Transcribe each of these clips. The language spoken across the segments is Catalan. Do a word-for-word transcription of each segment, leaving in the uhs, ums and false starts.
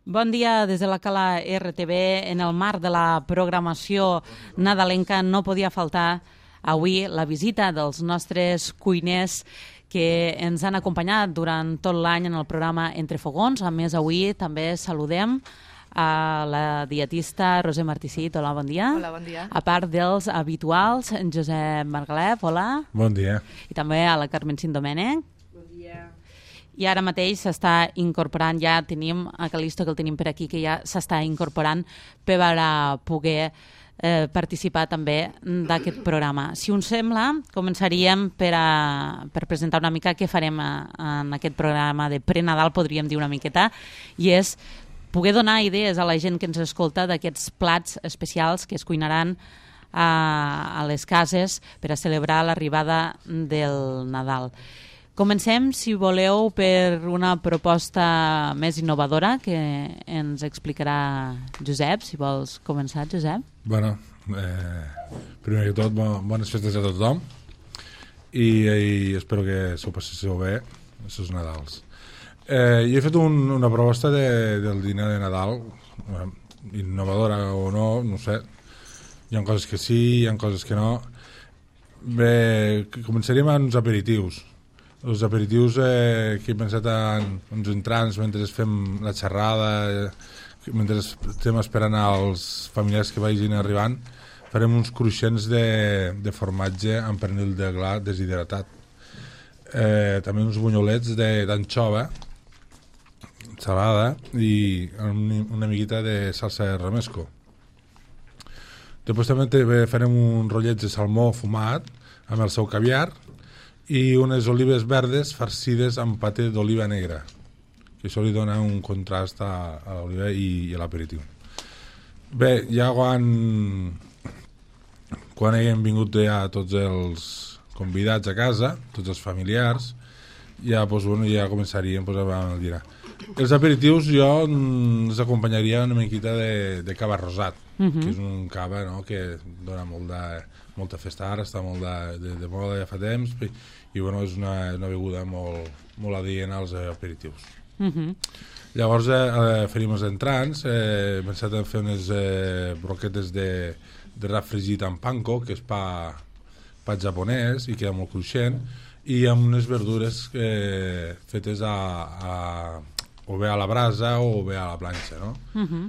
Bon dia des de la Cala R T V. En el marc de la programació nadalenca no podia faltar avui la visita dels nostres cuiners que ens han acompanyat durant tot l'any en el programa Entre Fogons. A més, avui també saludem a la dietista Roser Marticit. Hola, bon dia. Hola, bon dia. A part dels habituals, en Josep Margalef, hola. Bon dia. I també a la Carmen Cindomènech. I ara mateix s'està incorporant, ja tenim a Calisto, que el tenim per aquí, que ja s'està incorporant per a poder eh, participar també d'aquest programa. Si us sembla, començaríem per, a, per presentar una mica què farem a, en aquest programa de pre-Nadal, podríem dir una miqueta, i és poder donar idees a la gent que ens escolta d'aquests plats especials que es cuinaran a, a les cases per a celebrar l'arribada del Nadal. Comencem, si voleu, per una proposta més innovadora que ens explicarà Josep. Si vols començar, Josep. Bueno, eh, primer que tot, bones festes a tothom i, i espero que s'ho passéssiu bé, aquests Nadals. Eh, jo he fet un, una proposta de, del dinar de Nadal, eh, innovadora o no, no sé. Hi ha coses que sí, hi ha coses que no. Bé, començaríem amb uns aperitius. Els aperitius eh, que he pensat en uns entrants mentre fem la xerrada, eh, mentre estem esperant als familiars que vagin arribant, farem uns cruixents de, de formatge amb pernil de gla deshidratat. Eh, també uns bunyolets d'anxova salada i una miqueta de salsa de romesco. Després també farem uns rotllets de salmó fumat amb el seu caviar i unes olives verdes farcides amb paté d'oliva negra, que això li dona un contrast a, a l'oliva i, i a l'aperitiu. Bé, ja quan quan haguem vingut ja tots els convidats a casa, tots els familiars, ja, doncs, bueno, ja començaríem doncs, amb el dinar. Els aperitius jo els acompanyaria una miqueta de, de cava rosat, uh-huh. que és un cava, no?, que dona molt de, molta festa ara, està molt de, de, de moda ja fa temps, i, i bueno, és una, una beguda molt, molt adient als aperitius. Uh-huh. Llavors eh, faríem els entrants, eh, he pensat en fer unes eh, broquetes de, de rap fregit amb panko, que és pa, pa japonès i queda molt cruixent, i amb unes verdures eh, fetes a, a, o bé a la brasa o bé a la planxa, no? Uh-huh.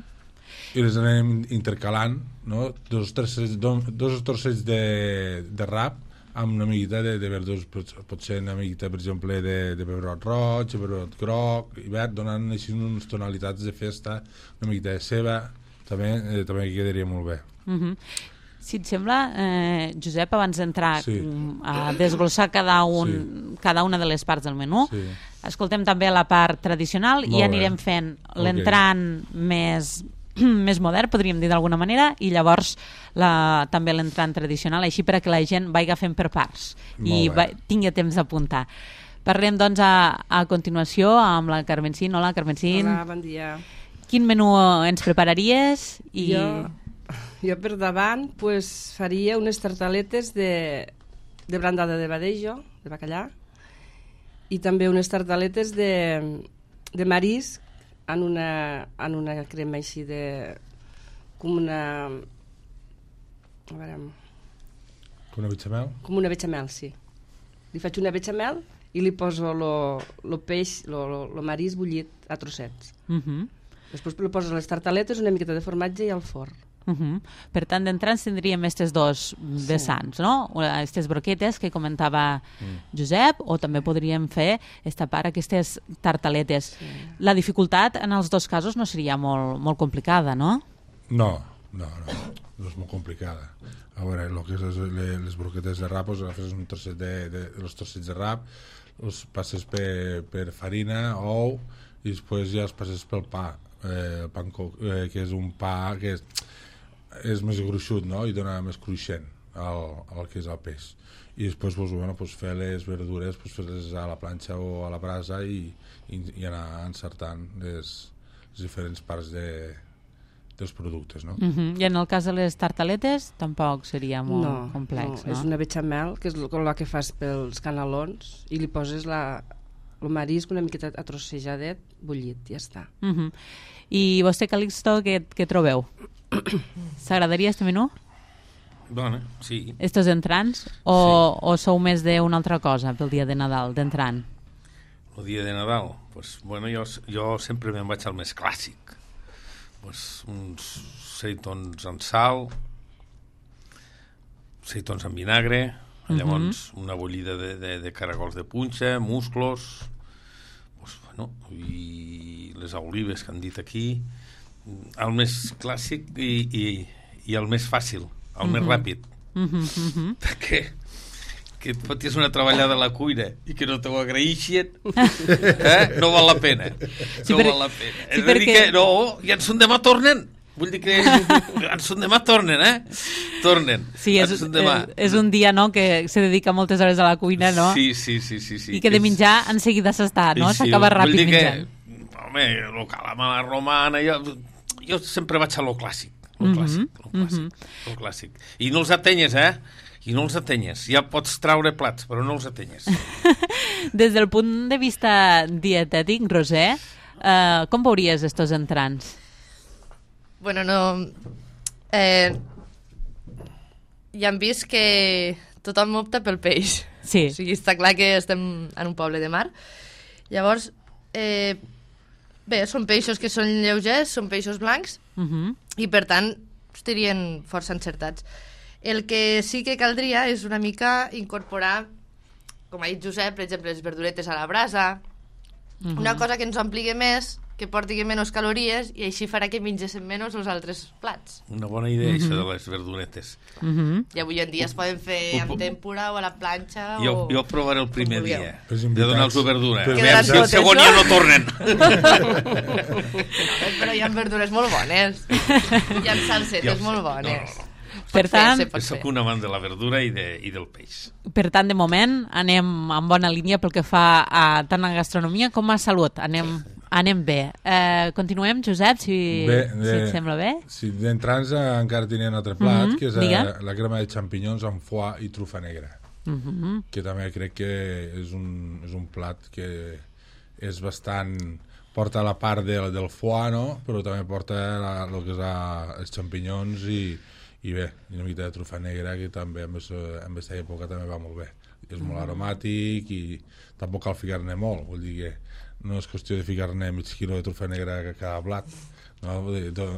I les anem intercalant, no? Dos, trossets, dos trossets de, de rap amb una miqueta de, de verdures, pot ser una miqueta, per exemple, de, de pebrot roig, de pebrot groc i verd, donant així unes tonalitats de festa, una miqueta de ceba, també, eh, també quedaria molt bé. Uh-huh. Si et sembla, eh, Josep, abans d'entrar sí. a desglossar cada, un, sí. cada una de les parts del menú, sí. escoltem també la part tradicional molt i anirem bé. Fent l'entrant okay. més... més modern, podríem dir d'alguna manera, i llavors la, també l'entrant tradicional, així per a que la gent vagi fent per parts i va, tingui temps d'apuntar. Parlem doncs a, a continuació amb la Carmencín. Hola, Carmencín. Hola, bon dia. Quin menú ens prepararies? I... Jo, jo per davant pues, faria unes tartaletes de, de brandada de badejo, de bacallà, i també unes tartaletes de, de marisc en una, en una crema així de... com una... a veure... Com una bechamel? Com una bechamel, sí. Li faig una bechamel i li poso el peix, el marisc bullit a trossets. Uh-huh. Després li poso les tartaletes, una miqueta de formatge i al forn. Uh-huh. Per tant, d'entrants tindríem aquestes dos vessants, sí. no? Aquestes broquetes que comentava mm. Josep, o també podríem fer esta part, aquestes tartaletes. Sí. La dificultat en els dos casos no seria molt, molt complicada, no? No, no, no, no és molt complicada. A veure, el que és les, les broquetes de rap, doncs agafes un trosset de, de, de los trossets de rap, els passes per, per farina, ou, i després ja els passes pel pa, eh, panko, eh, que és un pa que és és més gruixut, no? I dona més cruixent. el, el que és el peix. I després pues, bueno, pues, fer les verdures, pues, fer-les a la planxa o a la brasa i, i, i anar encertant les, les diferents parts de, dels productes, no? Uh-huh. I en el cas de les tartaletes tampoc seria molt no, complex, no? no? És una bechamel, que és el que fas pels canalons, i li poses la, el marisc una miqueta atrossejadet, bullit, ja està. Uh-huh. I vostè, Calixto, què, què trobeu? S'agradaria este menú? Bona, sí. Estos entrants? O, sí. o sou més d'una altra cosa pel dia de Nadal, d'entrant? El dia de Nadal? Pues, bueno, jo, jo sempre me'n vaig al més clàssic. Pues, uns seitons en sal, seitons en vinagre, llavors uh-huh. una bullida de, de, de caragols de punxa, musclos, pues, bueno, i les olives que han dit aquí, el més clàssic i, i, i el més fàcil, el uh-huh. més ràpid. Uh-huh, uh-huh. Perquè que et fotis una treballada a la cuina i que no t'ho agraeixin, eh? No val la pena. Sí, no per... val la pena. Sí, és perquè... a dir que, no, i en son demà tornen. Vull dir que en son demà tornen, eh? Tornen. Sí, és, és, és un dia, no?, que se dedica moltes hores a la cuina, no? Sí, sí, sí. sí, sí. I que de menjar en seguida s'està, no? Sí, s'acaba ràpid vull dir menjant. Que, home, lo calamar a la romana, jo, jo sempre vaig a lo clàssic. Lo clàssic, mm-hmm. lo clàssic, mm-hmm. lo clàssic. I no els atenyes, eh? I no els atenyes. Ja pots traure plats, però no els atenyes. Des del punt de vista dietètic, Roser, eh, com veuries estos entrants? Bueno, no... Eh, ja hem vist que tothom opta pel peix. Sí. O sigui, està clar que estem en un poble de mar. Llavors, eh, bé, són peixos que són lleugers, són peixos blancs, uh-huh. i per tant estarien força encertats. El que sí que caldria és una mica incorporar, com ha dit Josep, per exemple, les verduretes a la brasa, uh-huh. una cosa que ens ompligui més, que porti menys calories, i així farà que mengéssim menys els altres plats. Una bona idea, uh-huh. això de les verduretes. Uh-huh. I avui en dia es poden fer amb tempura o a la planxa. Jo, o... jo provaré el primer dia pues de donar-los verdura. Pues veure si el segon no? ja no tornen. no, però hi ha verdures molt bones. Hi ha salsetes molt bones. No, no. Per tant, soc un amant de la verdura i, de, i del peix. Per tant, de moment, anem en bona línia pel que fa a tant a gastronomia com a salut. Anem, anem bé. Eh, continuem, Josep, si, bé, de, si et sembla bé. Sí, d'entrants encara tenia un altre plat, mm-hmm, que és Diga. la crema de xampinyons amb foie i trufa negra. Mm-hmm. Que també crec que és un, és un plat que és bastant... porta la part del, del foie, no? Però també porta la, el que és la, els xampinyons i i bé, una mica de trufa negra que també en aquesta època també va molt bé, és molt aromàtic i tampoc cal ficar-ne molt, vull dir que no és qüestió de ficar-ne mig quilo de trufa negra a cada blat, no?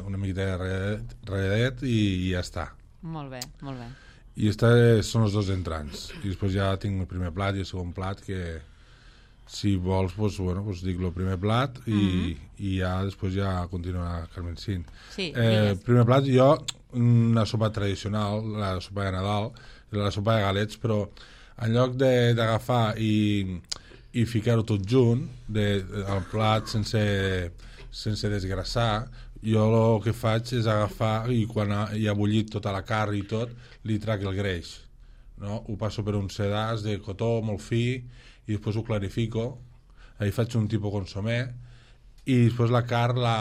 Una mica de ralladet, ralladet i, i ja està. Molt bé, molt bé. I aquests són els dos entrants i després ja tinc el primer plat i el segon plat que si vols, pues, bueno, pues dic el primer plat i, mm-hmm. i ja després ja continua Carmen Cint. Sí, eh, primer plat, jo una sopa tradicional, la sopa de Nadal, la sopa de galets, però en lloc d'agafar i, i ficar-ho tot junt, de, de, al plat sense, sense desgrassar, jo el que faig és agafar i quan ha, hi ha bullit tota la carn i tot, li trac el greix. No? Ho passo per un sedàs de cotó molt fi i després ho clarifico, ahí faig un tipus consomé i després la carn la,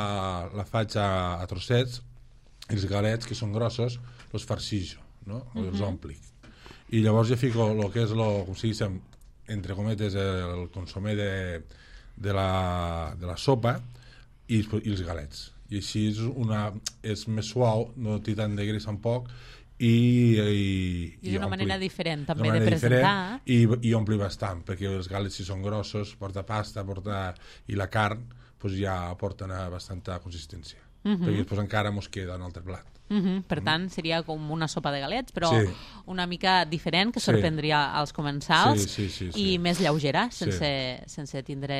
la faig a, a trossets i els galets, que són grossos, els farcixo, no? Uh-huh. Els omplic. I llavors ja fico el que és, lo, com si diguéssim, entre cometes, el consomé de, de, la, de la sopa i, i els galets. I així és, una, és més suau, no té tant de greix tampoc, i, i, I és una ompli. manera diferent també manera de presentar. I, i ompli bastant, perquè els galets si són grossos, porta pasta, porta... i la carn pues, ja porta una bastanta consistència. Uh-huh. Perquè després encara mos queda un altre plat. Uh-huh. Per tant, seria com una sopa de galets, però sí. una mica diferent, que sorprendria sí. als comensals, sí, sí, sí, sí. i més lleugera, sense, sí. sense tindre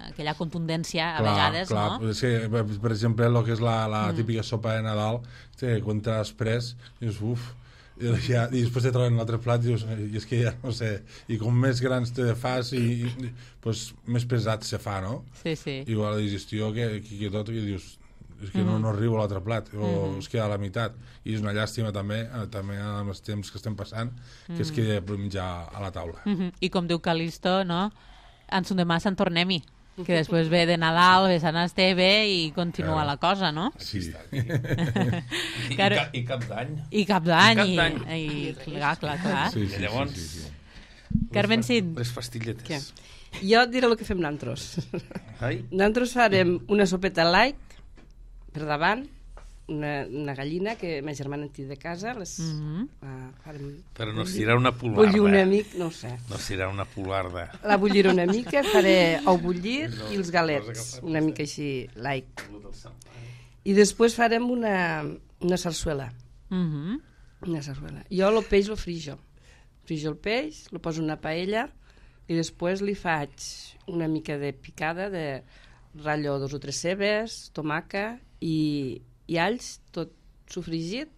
aquella contundència a clar, vegades, clar. no? Sí, per exemple, el que és la, la mm. típica sopa de Nadal, que quan te l'has pres, dius, uf, i, ja, i després te troben l'altre plat i dius, i és que ja no sé, i com més grans te fas i, i pues, més pesat se fa, no? Sí, sí. Igual la digestió que, que, que tot, i dius, és que no, no arribo a l'altre plat, o es queda a la meitat, i és una llàstima també, eh, també amb els temps que estem passant, que es quedi per menjar a la taula. Mm-hmm. I com diu Calisto, no? Ens demà se'n tornem-hi, que després ve de Nadal, ve Sant Esteve i continua Claro. la cosa, no? Sí. I, i, Claro. ca- i cap d'any. I cap d'any, I cap i, i, clar, clar, clar. Sí, sí, I llavors... sí, sí, sí. Carmen Cid. Les pastilletes. Jo et diré el que fem nantros. Ai, Nantros farem una sopeta light per davant, una, una gallina que ma germana en té de casa, les, Mhm. uh, farem, però no es tirarà una bullir una polarda. mica, no ho sé. No es tirarà una polarda. La bulliré una mica, faré ou bullir i els galets, una mica així light. I després farem una, una sarsuela. Mhm. Una sarsuela. Jo el peix lo frijo. Frijo el peix, lo poso en una paella i després li faig una mica de picada de ratllo dos o tres cebes, tomaca i, i alls, tot sofregit,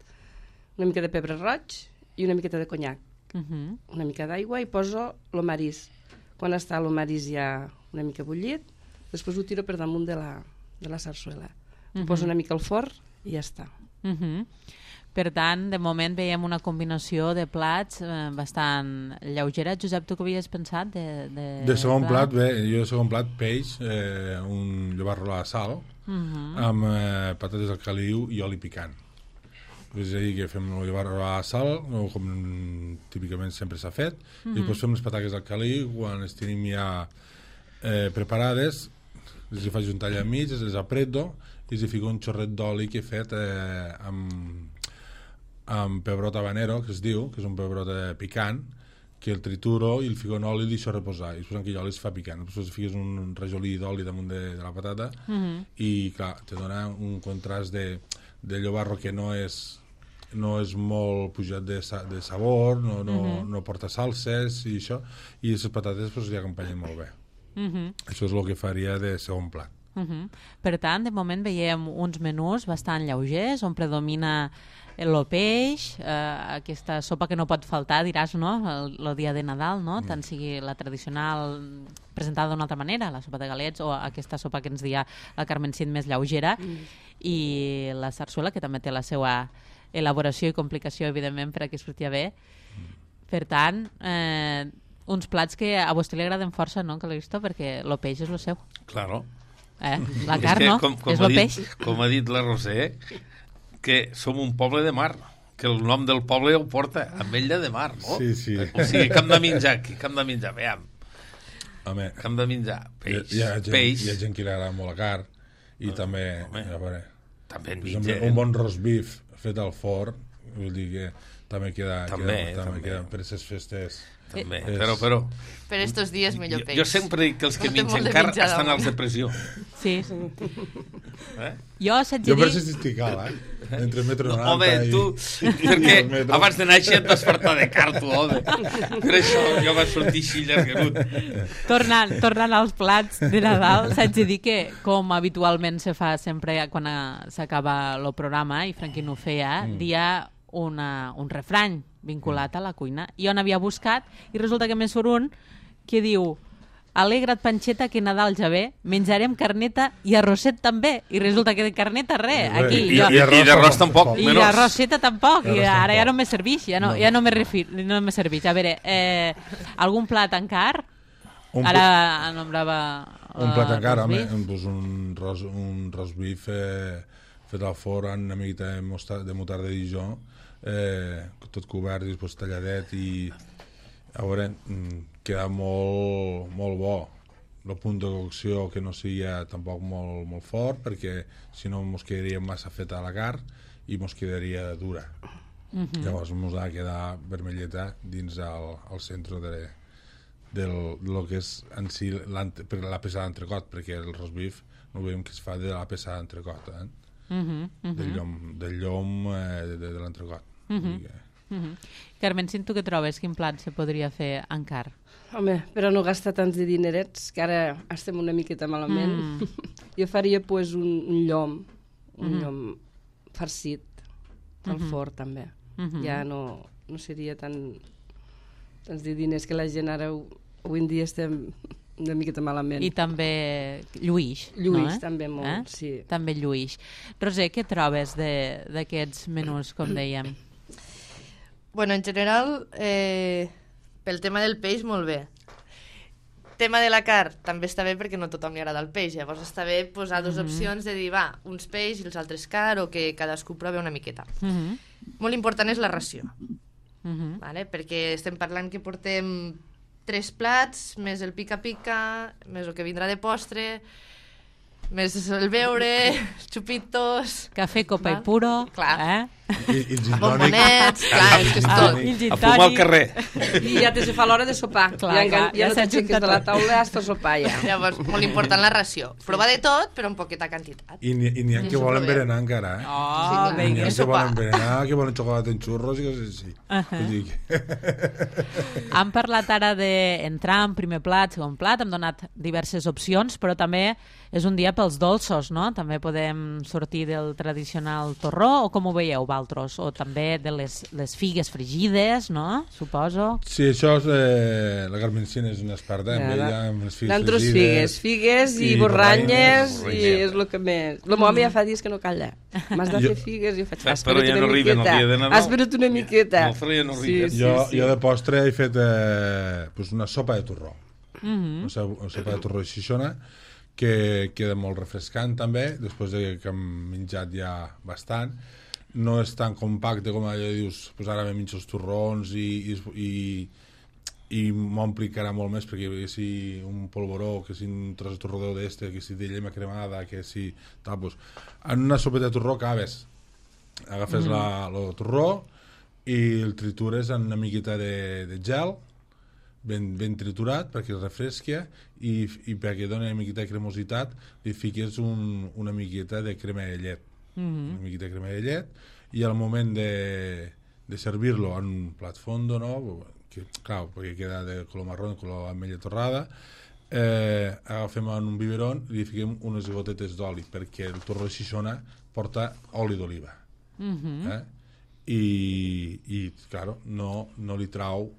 una mica de pebre roig i una miqueta de conyac, Mhm. una mica d'aigua i poso el marís. Quan està el marís ja una mica bullit, després ho tiro per damunt de la, de la sarsuela. Ho poso una mica al forn i ja està. Mhm. Per tant, de moment veiem una combinació de plats eh, bastant lleugera. Josep, tu què havies pensat? De, de, De segon plat, bé, jo de segon plat, peix, eh, un llobarro a la sal, Mhm. amb eh, patates al caliu i oli picant. És a dir, que fem el llobarro a la sal, o com típicament sempre s'ha fet, i després fem les patates al caliu, quan les tenim ja eh, preparades, les hi faig un tall a mig, les apreto, i els hi fico un xorret d'oli que he fet eh, amb, amb pebrot habanero, que es diu, que és un pebrot eh, picant, que el trituro i el fico en oli i el deixo reposar, i després aquell oli es fa picant, després fiques un rajolí d'oli damunt de, de la patata, Mhm. i clar, te dona un contrast de, de llobarro que no és no és molt pujat de, sa, de sabor, no, no, no porta salses i això, i les patates pues, li acompanyen molt bé. Mhm. Això és el que faria de segon plat. Mhm. Per tant, de moment veiem uns menús bastant lleugers, on predomina el peix, eh, aquesta sopa que no pot faltar, diràs, no?, el, el dia de Nadal, no?, tant sigui la tradicional presentada d'una altra manera, la sopa de galets, o aquesta sopa que ens dia la Carmen Cid més lleugera, i la sarsuela, que també té la seva elaboració i complicació, evidentment, per a que es surti bé. Per tant, eh, uns plats que a vostè li agraden força, no, Calisto? Perquè el peix és el seu. Claro. Eh? La És carn, que, no? com, com És ha el dit, peix. Com ha dit la Roser, que som un poble de mar, que el nom del poble el porta, Ametlla de Mar, no? Sí, sí. O sigui, que hem de menjar aquí, que hem de menjar, veiem, Home, que hem de menjar peix, hi, ha, gent, peix, hi ha gent que li agrada molt la carn, i també, home, a veure, també en per exemple, menja, un bon roast beef fet al forn, vull dir que també queda, També, queda, també també. queda per aquestes festes. també, És- però, però, Per estos dies millor jo, peix. jo sempre dic que els que No té molt mengen de carn menjar estan damunt. als de pressió. Sí. Eh? Jo s'haig de Jo per dir... això estic cal, eh? Entre metro No, noranta home, i... tu, perquè el metro. abans de néixer et vas fartar de carn, tu, home. Per això jo vaig sortir així llarguerut. Tornant, tornant als plats de Nadal, s'haig de dir que, com habitualment se fa sempre quan eh, s'acaba el programa, i Franquín ho feia, mm. dia una, un refrany vinculat a la cuina. Jo n'havia buscat i resulta que me surt un que diu: alegra't, Panxeta, que Nadal ja ve, menjarem carneta i arrosset també. I resulta que de carneta res, I- aquí. I, jo, i, i d'arròs tampoc, I menys. l'arrosseta tampoc, i L'arròs ara ja tampoc. no me serveix, ja no, No. ja no me refir, no me serveix. A veure, eh, algun plat encara? Un, Ara nombrava... un plat encara, home, roast beef. doncs un, ros, un roast beef eh, fet al forn amb una miqueta de, mostar, de mutar de Dijon, eh, tot cobert i després talladet, i a veure, mm, queda molt, molt bo. El punt de cocció que no sigui tampoc molt, molt fort, perquè si no mos quedaria massa feta la carn i mos quedaria dura. Mhm. Llavors mos ha de quedar vermelleta dins el, el centre de, del, de lo que és en si l'ante- per la peça d'entrecot, perquè el roast beef no veiem que es fa de la peça d'entrecot, eh? Mhm, mhm, del llom, del llom eh, de, de l'entrecot. Vull dir que- mhm. Carmen, si tu què trobes? Quin plat se podria fer encara? Home, però no gastar tants de dinerets, que ara estem una miqueta malament. Mm. Jo faria pues, un, un llom, un mm. llom farcit, al Mhm. forn també. Mhm. Ja no, no seria tan tants de diners que la gent ara, ho- avui en dia estem una miqueta malament. I també lluïx, Lluïx, no, eh? també molt, eh? sí. També lluïx. Roser, què trobes d'aquests menús, com dèiem? Bueno, en general, eh, pel tema del peix, molt bé. Tema de la carn, també està bé perquè no a tothom li agrada el peix. Llavors està bé posar dues Mhm. opcions de dir, va, uns peix i els altres carn, o que cadascú provi una miqueta. Mhm. Molt important és la ració, Mhm. vale? Perquè estem parlant que portem tres plats, més el pica-pica, més el que vindrà de postre, més el beure, xupitos... Cafè, copa Val? i puro, Clar. eh? I, i gin tònic. Bombonets, clar, és que és Ah, tot. i el gin A fumar al tònic. carrer. I ja te se fa l'hora de sopar. Clar, ja, engan- clar, ja, ja no s'ha t'aixeques juntat de la tot. taula hasta sopar ja. Llavors, molt important la ració. Provar de tot, però en poqueta quantitat. I n'hi n'hi ha que Això volen és molt bé. berenar encara, eh? Oh, Sí, clar. N'hi ha vinga. que sopar. volen berenar, que volen xocolata en xurros i coses així. Ahà. Vull dir que... Hem parlat ara d'entrar en primer plat, segon plat, hem donat diverses opcions, però també és un dia pels dolços, no? També podem sortir del tradicional torró, o com ho veieu, vosaltres? O també de les, les figues fregides, no? Suposo. Sí, això és... Eh, la Carmencina és una experta, amb Ja, ella, amb les figues Nosaltres fregides. figues, figues i, i borranyes, borranyes, i és el que més... El meu home ja fa dies que no calla. M'has de Jo- fer figues i jo faig... Però Espera't ja una no arriben el miqueta. dia de Nadal. Espera't una miqueta. No, però ja no sí, arriben. sí, jo, sí. jo de postre he fet eh, pues una sopa de torró. Mhm. Una so- una sopa de torró de xixona que queda molt refrescant també, després de que hem menjat ja bastant. No és tan compacte com allò que dius, pues ara me menjo els torrons i, i, i, i m'omplicarà molt més, perquè que si un polvoró, que si un tros de torró d'este, que si de llema cremada, que si tal, pues, en una sopeta de torró acabes, agafes mm. la, el torró i el tritures en una miqueta de, de gel, ben, ben triturat perquè es refresqui i, i perquè doni una miqueta de cremositat li fiques un, una miqueta de crema de llet, Mhm. una miqueta de crema de llet, i al moment de, de servir-lo en un plat fondo, no? Que, clar, perquè queda de color marró, de color ametlla torrada, eh, agafem en un biberon i li fiquem unes gotetes d'oli, perquè el torró de xixona porta oli d'oliva. Mhm. Eh? I, i claro, no, no li trau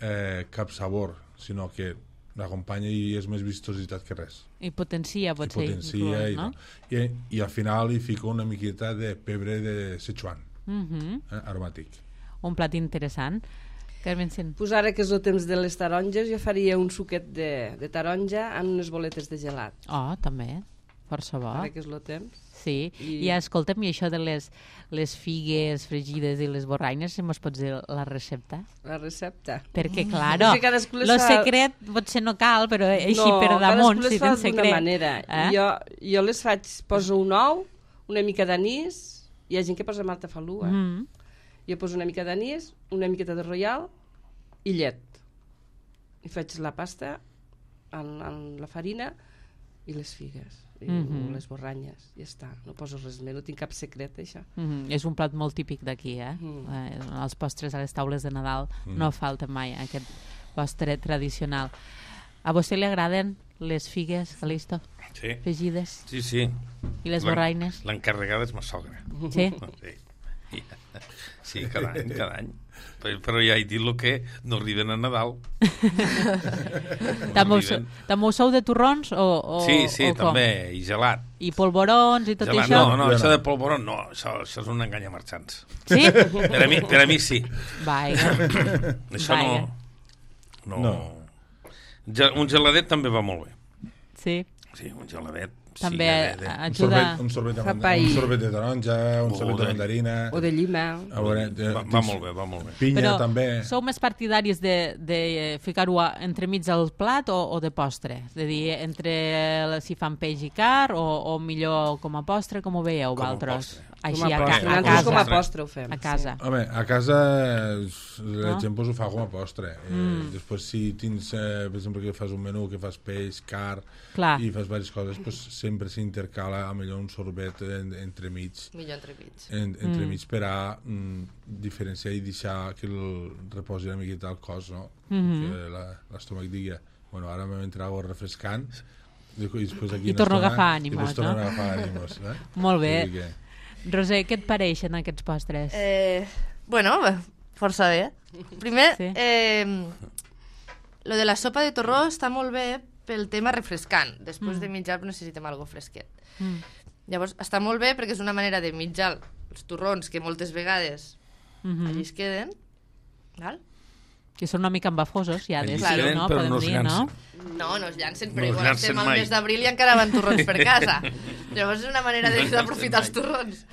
eh, cap sabor, sinó que l'acompanya i és més vistositat que res. I potencia, I potser, potencia inclús, i, no? I, i al final li fico una miqueta de pebre de Sichuan, Mhm. eh, aromàtic. Un plat interessant. Carmen Cent. Pues ara que és el temps de les taronges, jo faria un suquet de, de taronja en unes boletes de gelat. Oh, també. Força bo. Ara que és el temps. Sí, I, I- I escolta'm, i això de les, les figues fregides i les borranyes, si mos pots dir la recepta? La recepta. Perquè, claro, És que cadascú les lo fa- secret potser no cal, però així no, per damunt, cadascú les si fa tens d'una secret. manera. Eh? Jo, jo les faig, poso un ou, una mica d'anís, hi ha gent que posa maltafalua, mm. Mm. jo poso una mica d'anís, una miqueta de royal i llet. I faig la pasta en, en la farina i les figues, i Mhm. les borranyes, i ja està. No poso res més, no tinc cap secret, això. Mm, és un plat molt típic d'aquí, eh? Mm. eh? Els postres a les taules de Nadal Mm. no falta mai, aquest postre tradicional. A vostè li agraden les figues, Calisto, Sí, fregides? sí, sí. I les L'en- borraines? L'encarregada és ma sogra. Sí? Sí. Sí, cada any, cada any. Però, però ja he dit el que no arriben a Nadal. També, ho, arriben. també ho sou de torrons o, o, Sí, sí, o com? també, i gelat. I polvorons i tot gelat. això? No, no, Jo això no. de polvorón no, això, això és un engany a marxants. Sí? Per a mi, per a mi sí. Vaja. Això Vaja. no... no. No. Ge- Un geladet també va molt bé. Sí. Sí, un geladet. També sí, de, de, Un ajuda... sorbet, un sorbet, de, Fa manda- pa i- un sorbet de taronja, un O sorbet de de- mandarina, O de llima. a veure, de, va, va molt bé, va molt bé. pinya Però també. sou més partidaris de, de ficar-ho a- entremig del plat o, o de postre? És a dir, entre el- si fan peix i car o, o millor com a postre, com ho veieu Com a vosaltres? postre. Així, Com a a, postre. ca a Nosaltres casa. com a postre ho fem. A casa. Home, a casa la No? gent pues, ho fa com a postre. Eh, Mm. Després si tens, eh, per exemple, que fas un menú que fas peix, car Clar. i fas diverses coses, pues, sempre s'intercala a millor un sorbet en, entremig, Millor entremig. en, entremig Mm. per a mm, diferenciar i deixar que el reposi una miqueta al cos, no? Mhm. Que la- l'estómac digui, bueno, ara m'he entrat algo refrescant i després aquí I una torno a estona- agafar i ànimos, després torno no? a agafar ànimos, eh? Molt bé. Vull dir que- Roser, què et pareixen aquests postres? Eh, bueno, força bé. Primer, Sí. eh, lo de la sopa de torró està molt bé pel tema refrescant. Després Mm. de menjar necessitem algo fresquet. Mm. Llavors, està molt bé perquè és una manera de menjar els torrons que moltes vegades Mhm. allí es queden, val? Que són una mica embafosos, ja, Allí des, es queden, no? però Podem no es dir, no? llancen. No, no es llancen, No però es igual llancen estem al mai. mes d'abril i encara van torrons per casa. Llavors és una manera de- d'aprofitar els torrons.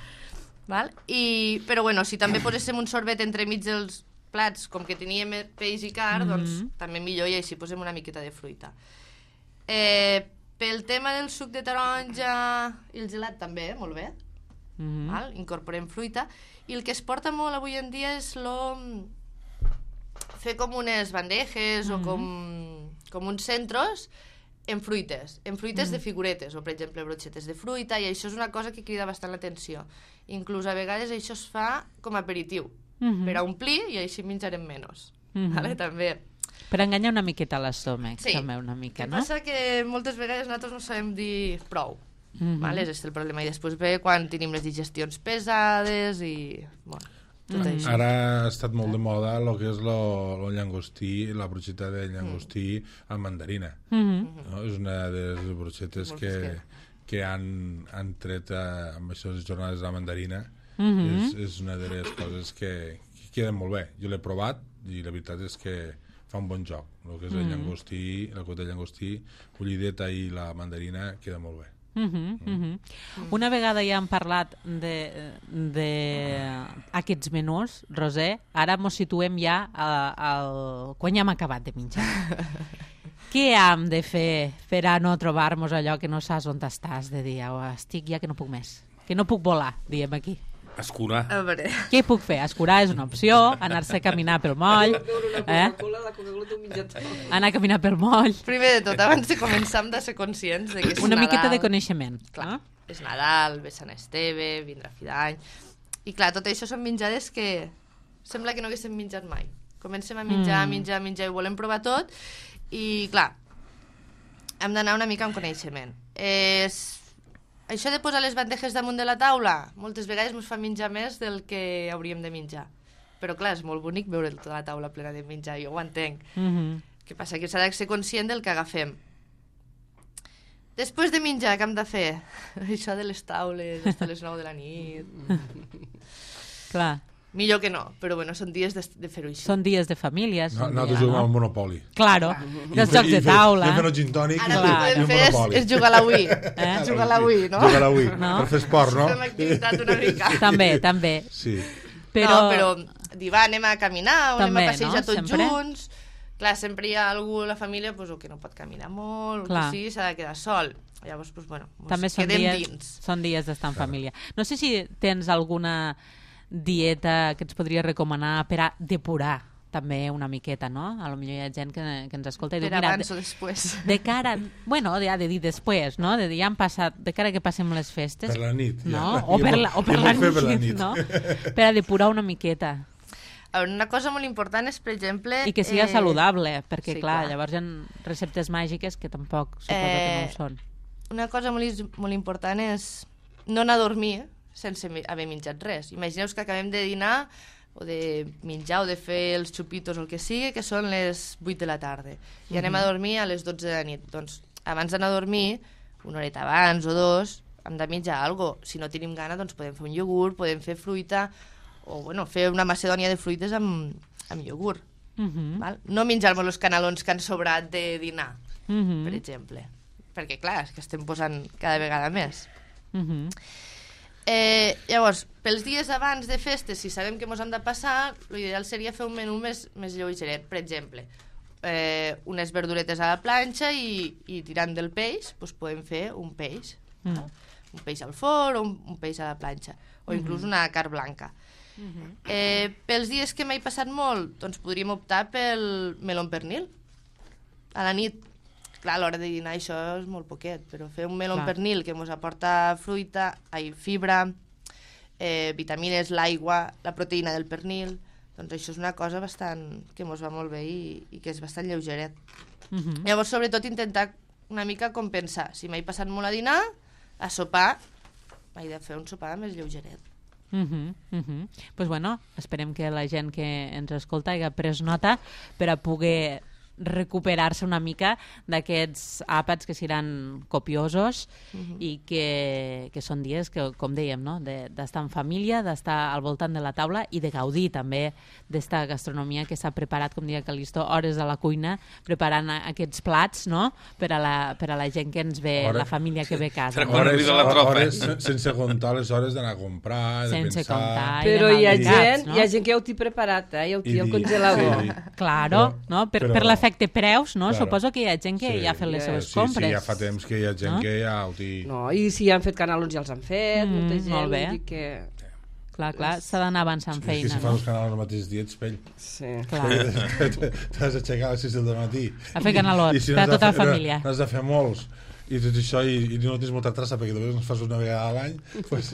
Val? I, però bueno, si també poséssim un sorbet entremig dels plats, com que teníem peix i car, Mhm. doncs també millor, i així posem una miqueta de fruita. Eh, pel tema del suc de taronja i el gelat també, molt bé. Mhm. Val? Incorporem fruita. I el que es porta molt avui en dia és lo... fer com unes bandejes o com, com uns centros en fruites, en fruites de figuretes, o per exemple brochetes de fruita, i això és una cosa que crida bastant l'atenció. Inclús a vegades això es fa com a aperitiu, Mhm. per a omplir, i així menjarem menys. Mhm. Vale? També. Per enganyar una miqueta l'estómac, Sí. també una mica, El que no? passa que moltes vegades nosaltres no sabem dir prou. Mhm. Vale? És el problema. I després ve quan tenim les digestions pesades i... Bueno, tot Mhm. això. Ara ha estat molt de moda el que és lo, lo llangostí, la brocheta de llangostí amb mandarina. Mhm. No? És una de les brochetes Molt que, fresquet. que han, han tret eh, amb aquestes jornades de la mandarina. Mhm. és, és una de les coses que, que queden molt bé. Jo l'he provat i la veritat és que fa un bon joc. El que és el llangostí, la cota de llangostí, bullideta i la mandarina queda molt bé. Mhm, mhm. Una vegada ja hem parlat de, de aquests menús, Roser, ara mos situem ja a, a, quan ja hem acabat de menjar. Què hem de fer per a no trobar-nos allò que no saps on estàs, de dir, oh, estic ja que no puc més, que no puc volar, diem aquí. Escurar. A veure... Què puc fer? Escurar és una opció, anar-se a caminar pel moll, eh? Coca-Cola, la Coca-Cola t'ho menja tot. anar a caminar pel moll, Primer de tot, abans de començar hem de ser conscients de que és una Nadal. miqueta de coneixement. Clar, No? és Nadal, ve Sant Esteve, vindrà fi d'any... I clar, tot això són menjades que sembla que no haguéssim menjat mai. Comencem a menjar, Mm. menjar, menjar i volem provar tot, i clar, hem d'anar una mica amb coneixement. És... Això de posar les bandejes damunt de la taula, moltes vegades ens fa menjar més del que hauríem de menjar. Però clar, és molt bonic veure tota la taula plena de menjar, jo ho entenc. Mhm. El que passa que s'ha de ser conscient del que agafem. Després de menjar, què hem de fer? Això de les taules, fins a les nou de la nit... Clar, Millor que no, però bueno, són dies de, de fer-ho així. són dies de família. No, són nosaltres dia, juguem al no? Monopoli. Claro, dels jocs de I fer- taula. I fent un gin tònic Ara i el que Clar, podem i fer és, Monopoli. és jugar a la Wii. Eh? Jugar a la Wii, no? Jugar a la Wii, No? per fer esport, no? Fem activitat una mica. També, també. Sí. Però, No, però dir, va, anem a caminar, o També, anem a passejar no? tots Sempre. junts. Clar, sempre hi ha algú a la família pues, o que no pot caminar molt, Clar. o que sí, s'ha de quedar sol. Llavors, pues, bueno, pues, també són quedem dies, dins. són dies d'estar en família. No sé si tens alguna dieta que ens podria recomanar per a depurar també una miqueta, no? A lo millor hi ha gent que, que ens escolta i Per diu, mira, abans de, o després. de cara... Bueno, ja de dir després, no? De dir, ja han passat, de cara que passem les festes... Per la nit, ja. No? Ja O per pot- la, o per ja la, pot fer nit, per la nit. no? Per a depurar una miqueta. A veure, una cosa molt important és, per exemple... I que siga eh, saludable, perquè, sí, clar, clar. llavors hi ha receptes màgiques que tampoc suposo que no Eh, ho són. Una cosa molt, is- molt important és no anar a dormir sense mi- haver menjat res. Imagineu que acabem de dinar o de menjar o de fer els xupitos o el que sigui, que són les vuit de la tarda. I anem a dormir a les dotze de la nit. Doncs abans d'anar a dormir, una horeta abans o dos, hem de menjar alguna cosa. Si no tenim gana, doncs podem fer un iogurt, podem fer fruita, o bueno, fer una macedònia de fruites amb, amb iogurt. Mhm, Val? No menjar-nos els canelons que han sobrat de dinar, mhm, per exemple. Perquè, clar, és que estem posant cada vegada més. mhm. Eh, llavors, pels dies abans de festes, si sabem que ens hem de passar, l'ideal seria fer un menú més, més lleugeret. Per exemple, eh, unes verduretes a la planxa i, i tirant del peix, doncs podem fer un peix. Mm. Un peix al forn o un, un peix a la planxa. O inclús una carn blanca. Eh, pels dies que m'he passat molt, doncs podríem optar pel meló amb pernil. A la nit, clar, a l'hora de dinar això és molt poquet, però fer un meló amb Clar. pernil que ens aporta fruita, ai, fibra, eh, vitamines, l'aigua, la proteïna del pernil, doncs això és una cosa bastant que ens va molt bé i, i que és bastant lleugeret. Mhm. Llavors, sobretot, intentar una mica compensar. Si m'he passat molt a dinar, a sopar, m'he de fer un sopar més lleugeret. Mhm, mhm. Pues bueno, esperem que la gent que ens escolta hagi pres nota per a poder recuperar-se una mica d'aquests àpats que seran copiosos uh-huh. i que, que són dies que, com dèiem, no? d'estar en família, d'estar al voltant de la taula i de gaudir també d'esta gastronomia que s'ha preparat, com deia Calisto, hores a la cuina, preparant aquests plats, no? per, a la, per a la gent que ens ve, hores, la família que ve a casa. No? Hores, la tropa. hores, sense comptar les hores d'anar a comprar, de sense pensar... Comptar, però hi ha, gent, caps, no? hi ha gent que ja ho té preparat, eh? ja ho té al congelador. Sí, claro, però, no? per, però, per l'efecte preus, no? Claro. Suposo que hi ha gent que sí, ja ha fet les seves sí, compres. Sí, ja fa temps que hi ha gent no? que ja ho té... No, i si han fet canalons ja els han fet, mm, molta gent, molt bé. Vull dir que... Clar, clar, s'ha d'anar avançant sí, feina. És que si no? fas els canals al mateix dia ets pell. Sí. T'has d'aixecar a les sis del matí. A fer canalots, si per a tota la família. N'has de fer molts. I tot això, i, i no tens molta traça perquè només ens fas una vegada a l'any pues...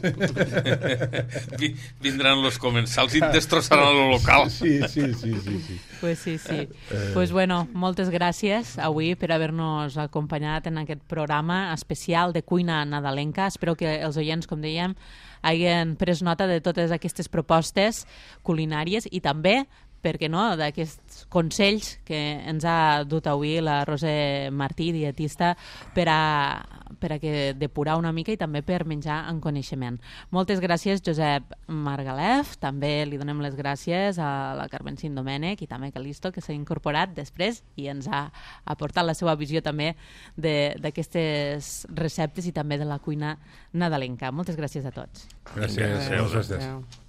vindran los comensals i et destrossaran el local. Sí, sí, sí, sí, sí. Pues sí, sí. Eh... Pues bueno, moltes gràcies avui per haver-nos acompanyat en aquest programa especial de cuina nadalenca. Espero que els oients, com dèiem, hagin pres nota de totes aquestes propostes culinàries i també, per què no, d'aquests consells que ens ha dut avui la Roser Martí, dietista, per a, per a que depurar una mica i també per menjar en coneixement. Moltes gràcies, Josep Margalef. També li donem les gràcies a la Carmen Cindomènech i també a Calisto, que s'ha incorporat després i ens ha aportat la seva visió també d'aquestes receptes i també de la cuina nadalenca. Moltes gràcies a tots. Gràcies. Gràcies. Gràcies.